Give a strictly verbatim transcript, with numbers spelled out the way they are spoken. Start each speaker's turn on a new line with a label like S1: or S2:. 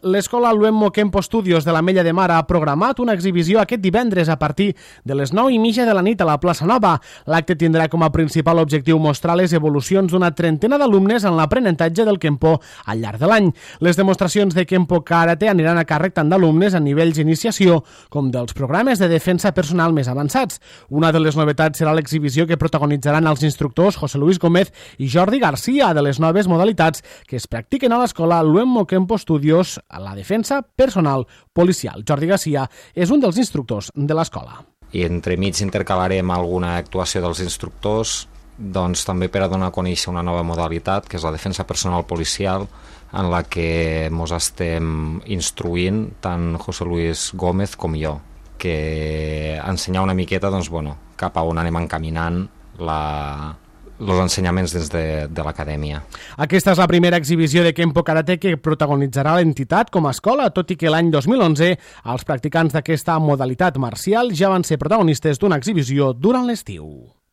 S1: L'escola Luemmo Kempo Studios de l'Ametlla de Mar ha programat una exhibició aquest divendres a partir de les nou i mitja de la nit a la plaça Nova. L'acte tindrà com a principal objectiu mostrar les evolucions d'una trentena d'alumnes en l'aprenentatge del Kempo al llarg de l'any. Les demostracions de Kempo Karate aniran a càrrec tant d'alumnes a nivells d'iniciació com dels programes de defensa personal més avançats. Una de les novetats serà l'exhibició que protagonitzaran els instructors José Luis Gómez i Jordi Garcia de les noves modalitats que es practiquen a l'escola Luemmo Kempo Studios a la defensa personal policial. Jordi Garcia és un dels instructors de l'escola.
S2: I entremig intercalarem alguna actuació dels instructors, doncs també per a donar a conèixer una nova modalitat, que és la defensa personal policial, en la que ens estem instruint tant José Luis Gómez com jo, que ensenyar una miqueta doncs, bueno, cap a on anem encaminant la... els ensenyaments des de, de l'acadèmia.
S1: Aquesta és la primera exhibició de Kempo Karate que protagonitzarà l'entitat com a escola, tot i que l'any dos mil onze els practicants d'aquesta modalitat marcial ja van ser protagonistes d'una exhibició durant l'estiu.